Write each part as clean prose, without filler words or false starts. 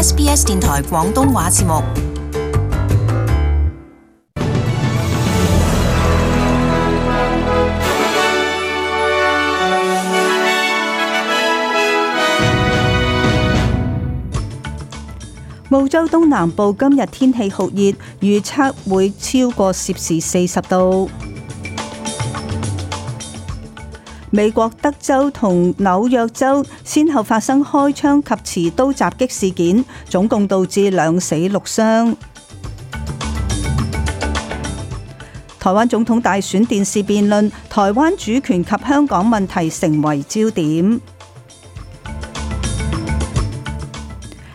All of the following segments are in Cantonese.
SBS 電台廣東話節目。澳洲東南部今日天氣酷熱，預測會超過攝氏40度。美國德州同紐約州先後發生開槍及持刀襲擊事件，總共導致2死6傷。台灣總統大選電視辯論，台灣主權及香港問題成為焦點。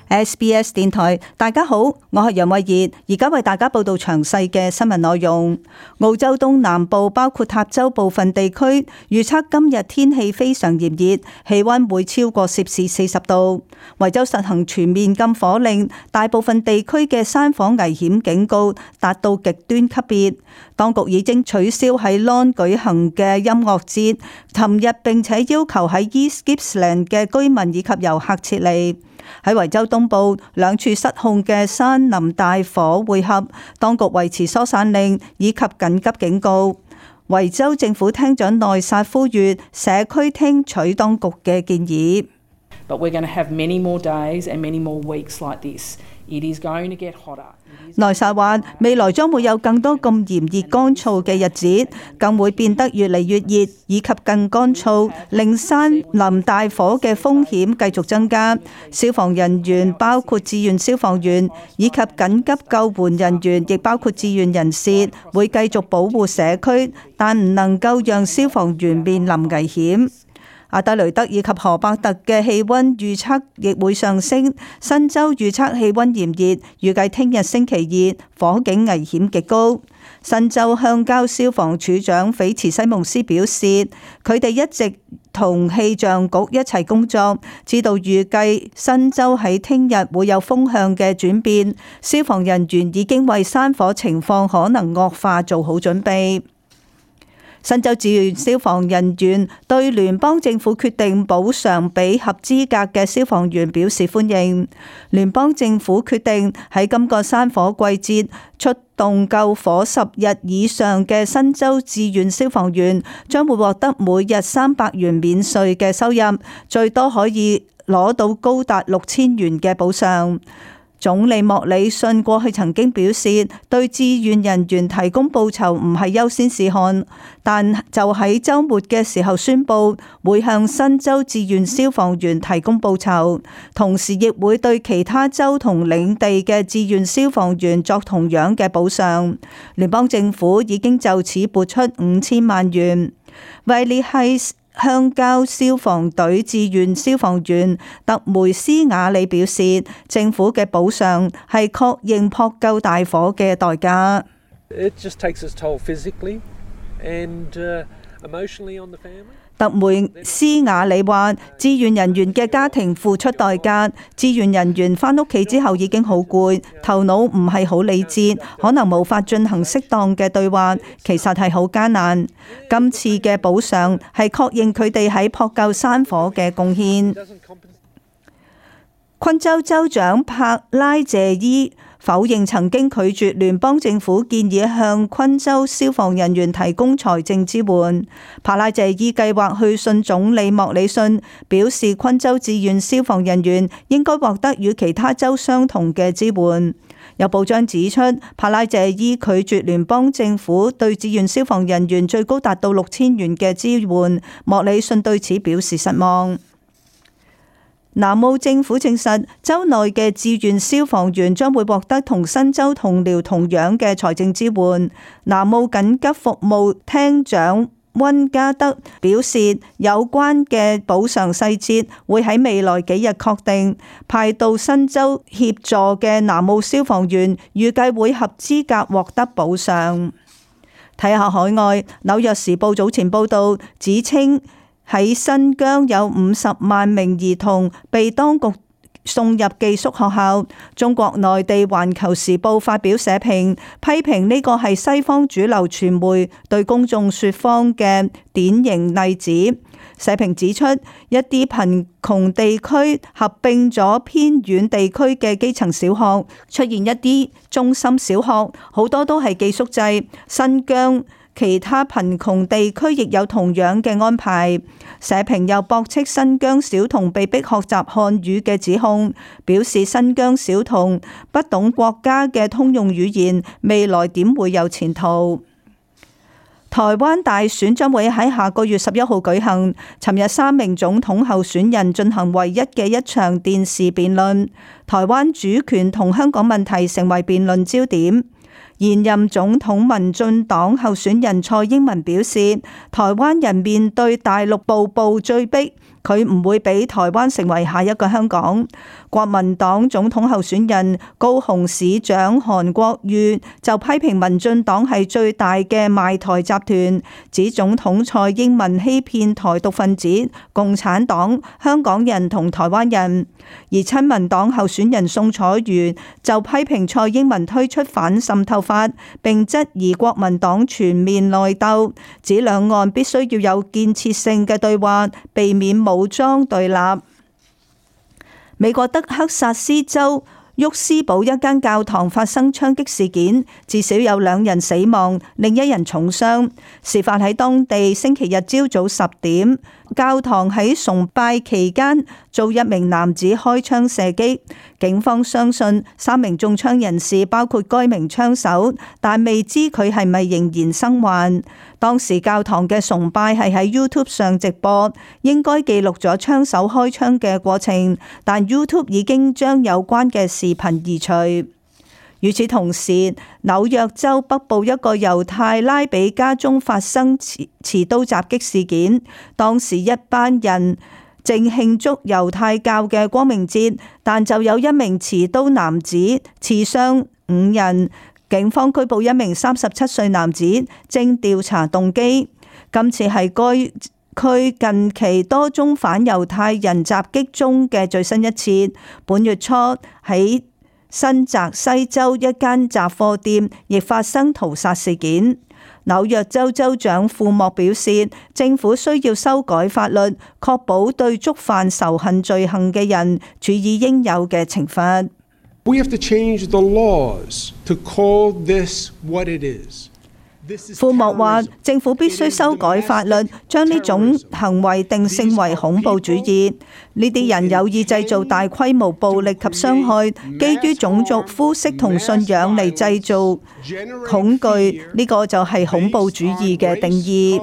SBS 電台，大家好，我係楊慧儀，而家為大家報道詳細嘅新聞內容。澳洲東南部包括塔州部分地區預測今日天氣非常炎熱，氣溫會超過攝氏40度。維州實行全面禁火令，大部分地區嘅山火危險警告達到極端級別。當局已經取消喺 Lorne 舉行嘅音樂節，尋日並且要求喺 East Gippsland 嘅居民以及遊客撤離。喺維州東部2處失控嘅山林大火匯合，當局維持疏散令以及緊急警告。維州政府廳長內薩呼籲社區聽取當局嘅建議。But we're going to have many more days and many more weeks like this. It is going to get hotter. 內薩話：未來將會有更多咁炎熱乾燥嘅日子，更會變得越嚟越熱，以及更乾燥，令山林大火嘅風險繼續增加。消防人員包括志願消防員以及緊急救援人員，亦包括志願人士，會繼續保護社區，但唔能夠讓消防員面臨危險。阿德雷德以及荷伯特嘅氣溫預測亦會上升，新州預測氣溫炎熱，預計聽日星期二火警危險極高。新州鄉郊消防處長斐茨西蒙斯表示，佢哋一直同氣象局一齊工作，知道預計新州喺聽日會有風向嘅轉變，消防人員已經為山火情況可能惡化做好準備。新州志願消防人員對聯邦政府決定補償俾合資格嘅消防員表示歡迎。聯邦政府決定喺今個山火季節出動救火10日以上嘅新州志願消防員，將會獲得每日300元免稅嘅收入，最多可以攞到高達6000元嘅補償。總理莫里遜過去曾經表示，對志願人員提供報酬唔係優先事項，但就喺週末嘅時候宣布會向新州志願消防員提供報酬，同時亦會對其他州同領地嘅志願消防員作同樣嘅補償。聯邦政府已經就此撥出5000萬元。維利係鄉郊消防隊志願消防員特梅斯瓦里表示，政府嘅補償係確認撲救大火嘅代價。It just takes its toll physically and emotionally on the family. 特梅斯瓦里話：志願人員嘅家庭付出代價，志願人員返屋企之後已經好攰，頭腦唔係好理智，可能無法進行適當嘅對話，其實係好艱難。今次嘅補償係確認佢哋喺撲救山火嘅貢獻。昆州州長帕拉謝伊否認曾經拒絕聯邦政府建議向昆州消防人員提供財政支援。帕拉謝伊計劃去信總理莫里遜，表示昆州志願消防人員應該獲得與其他州相同嘅支援。有報章指出，帕拉謝伊拒絕聯邦政府對志願消防人員最高達到6000元嘅支援，莫里遜對此表示失望。南澳政府證實，州內嘅志願消防員將會獲得同新州同僚同樣嘅財政支援。南澳緊急服務廳長溫加德表示，有關嘅補償細節會喺未來幾日確定。派到新州協助嘅南澳消防員預計會合資格獲得補償。睇下海外，紐約時報早前報道指稱，喺新疆有50萬名兒童被當局送入寄宿學校。中國內地環球時報發表社評，批評呢個係西方主流傳媒對公眾說謊嘅典型例子。社評指出，一啲貧窮地區合併咗偏遠地區嘅基層小學，出現一啲中心小學，好多都係寄宿制。新疆其他貧窮地區亦有同樣嘅安排。社評又駁斥新疆小童被迫學習漢語嘅指控，表示新疆小童不懂國家嘅通用語言，未來點會有前途？台灣大選將會喺下個月11號舉行。尋日3名總統候選人進行唯一嘅一場電視辯論，台灣主權同香港問題成為辯論焦點。現任總統民進黨候選人蔡英文表示，台灣人面對大陸步步追逼，佢唔會俾台灣成為下一個香港。國民黨總統候選人高雄市長韓國瑜就批評民進黨係最大嘅賣台集團，指總統蔡英文欺騙台獨分子、共產黨、香港人同台灣人。而親民黨候選人宋楚瑜就批評蔡英文推出反滲透法，並質疑國民黨全面內鬥，指兩岸必須要有建設性嘅對話，避免武裝對立。美國德克薩斯州沃斯堡一間教堂發生槍擊事件，至少有2人死亡，另1人重傷。事發喺當地星期日朝早10點，教堂喺崇拜期間遭一名男子開槍射擊。警方相信3名中槍人士包括該名槍手，但未知佢係咪仍然生還。當時教堂嘅崇拜係喺 YouTube 上直播，應該記錄咗槍手開槍嘅過程，但 YouTube 已經將有關嘅視頻移除。與此同時，紐約州北部一個猶太拉比家中發生持刀襲擊事件，當時一班人正慶祝猶太教嘅光明節，但就有一名持刀男子刺傷5人。警方拘捕一名37歲男子，正調查動機。今次係該區近期多宗反猶太人襲擊中嘅最新一次。本月初喺新澤西州一間雜貨店亦發生屠殺事件。紐約州州長庫莫表示，政府需要修改法律，確保對觸犯仇恨罪行嘅人處以應有嘅懲罰。We have to change the laws to call this what it is. 庫莫話，政府必須修改法律，將呢種行為定性為恐怖主義。呢啲人有意製造大規模暴力及傷害，基於種族、膚色同信仰嚟製造恐懼，呢個就係恐怖主義嘅定義。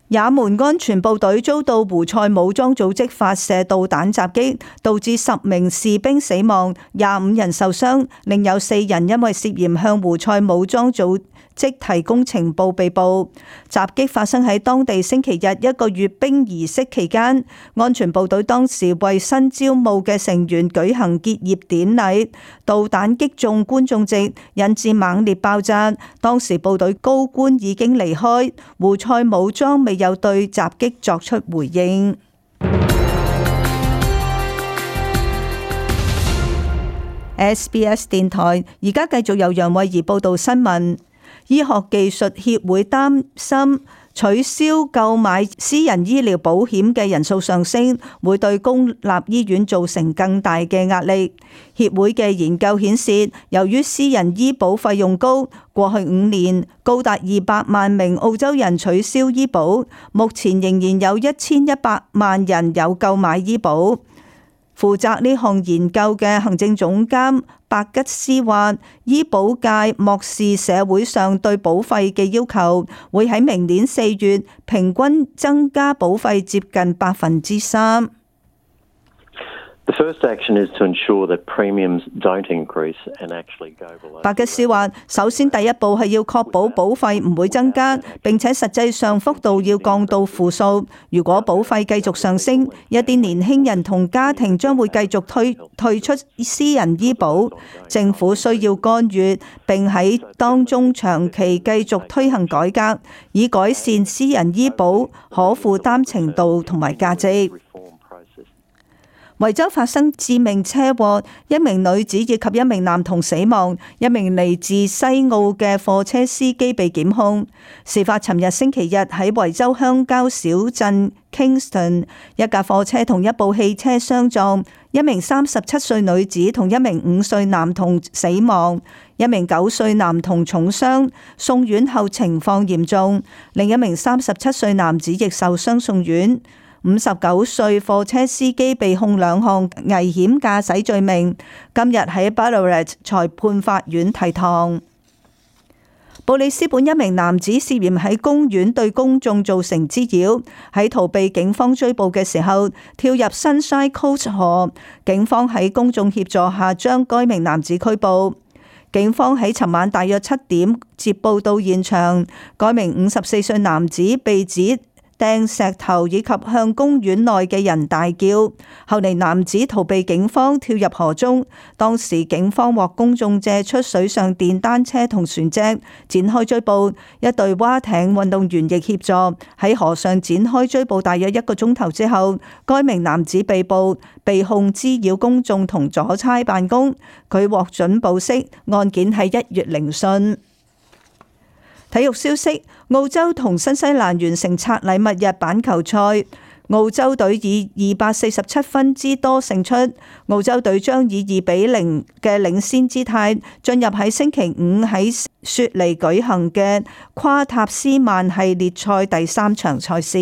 也門安全部隊遭到胡塞武裝組織發射導彈襲擊，導致10名士兵死亡，25人受傷，另有4人因為涉嫌向胡塞武裝組織提供情報被捕。襲擊發生喺當地星期日一個閱兵儀式期間，安全部隊當時為新招募嘅成員舉行結業典禮，導彈擊中觀眾席，引致猛烈爆炸。當時部隊高官已經離開，胡塞武裝未有對襲擊作出回應。SBS 電台而家繼續由楊慧儀報道新聞。醫學技術協會擔心取消購買私人醫療保險嘅人數上升，會對公立醫院造成更大嘅壓力。協會嘅研究顯示，由於私人醫保費用高，過去5年高達200萬名澳洲人取消醫保，目前仍然有1100萬人有購買醫保。負責呢項研究嘅行政總監白吉斯話，醫保界漠視社會上對保費嘅要求，會喺明年4月平均增加保費接近3%。白吉斯話，首先第一步係要確保保費唔會增加，並且實際上幅度要降到負數。如果保費繼續上升，一啲年輕人同家庭將會繼續退出私人醫保。政府需要干預，並喺當中長期繼續推行改革，以改善私人醫保可負擔程度同埋價值。維州發生致命車禍，一名女子以及一名男童死亡，一名嚟自西澳嘅貨車司機被檢控。事發尋日星期日喺維州鄉郊小鎮 Kingston， 一架貨車同一部汽車相撞，一名37歲女子同一名5歲男童死亡，一名9歲男童重傷，送院後情況嚴重，另一名37歲男子亦受傷送院。59歲貨車司機被控2項危險駕駛罪名，今日喺 Ballarat 裁判法院提堂。布里斯本一名男子涉嫌喺公園對公眾造成滋擾，喺逃避警方追捕嘅時候跳入 Sunshine Coast 河，警方喺公眾協助下將該名男子拘捕。警方喺尋晚大約7點接報到現場，該名54歲男子被指掟石頭以及向公園內嘅人大叫，後嚟男子逃避警方跳入河中，當時警方獲公眾借出水上電單車同船隻展開追捕，一隊蛙艇運動員亦協助喺河上展開追捕，大約1個鐘頭之後，該名男子被捕，被控滋擾公眾同阻差辦公，佢獲准保釋，案件喺1月聆訊。體育消息：澳洲同新西蘭完成拆禮物日板球賽，澳洲隊以247分之多勝出，澳洲隊將以2-0嘅領先姿態進入喺星期5喺雪梨舉行嘅跨塔斯曼系列賽第3場賽事。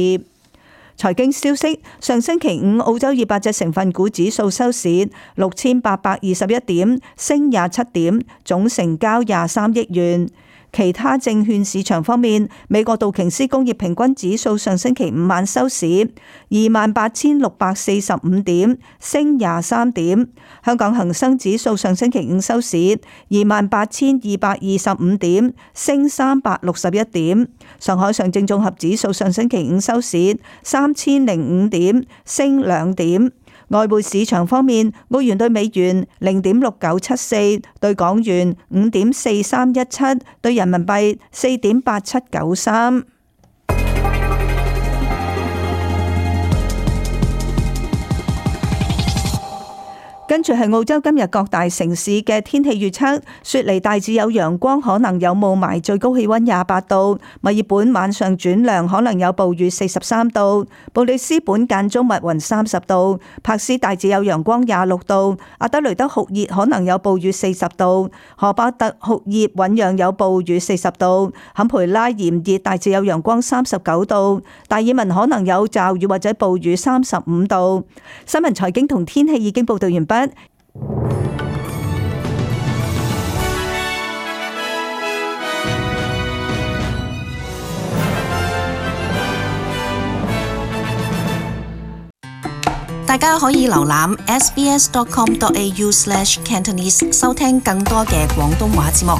財經消息：上星期5澳洲200隻成分股指數收市6821點，升27點，總成交23億元。其他證券市場方面，美國道瓊斯工業平均指數上星期5晚收市28,645點，升23點。香港恒生指數上星期5收市28,225點，升361點。上海上證綜合指數上星期5收市3005點，升2點。外匯市場方面，澳元對美元0.6974，對港元5.4317，對人民幣4.8793。跟住係澳洲今日各大城市嘅天氣預測：雪梨大致有陽光，可能有霧霾，最高氣溫28度；墨爾本晚上轉涼，可能有暴雨43度；布里斯本間中密雲30度；柏斯大致有陽光26度；阿德雷德酷熱，可能有暴雨40度；荷巴特酷熱，醞釀有暴雨40度；坎培拉炎熱，大致有陽光39度；達爾文可能有驟雨或者暴雨35度。新聞財經同天氣已經報道完畢。大家可以瀏覽 sbs.com.au/cantonese 收聽更多嘅廣東話節目。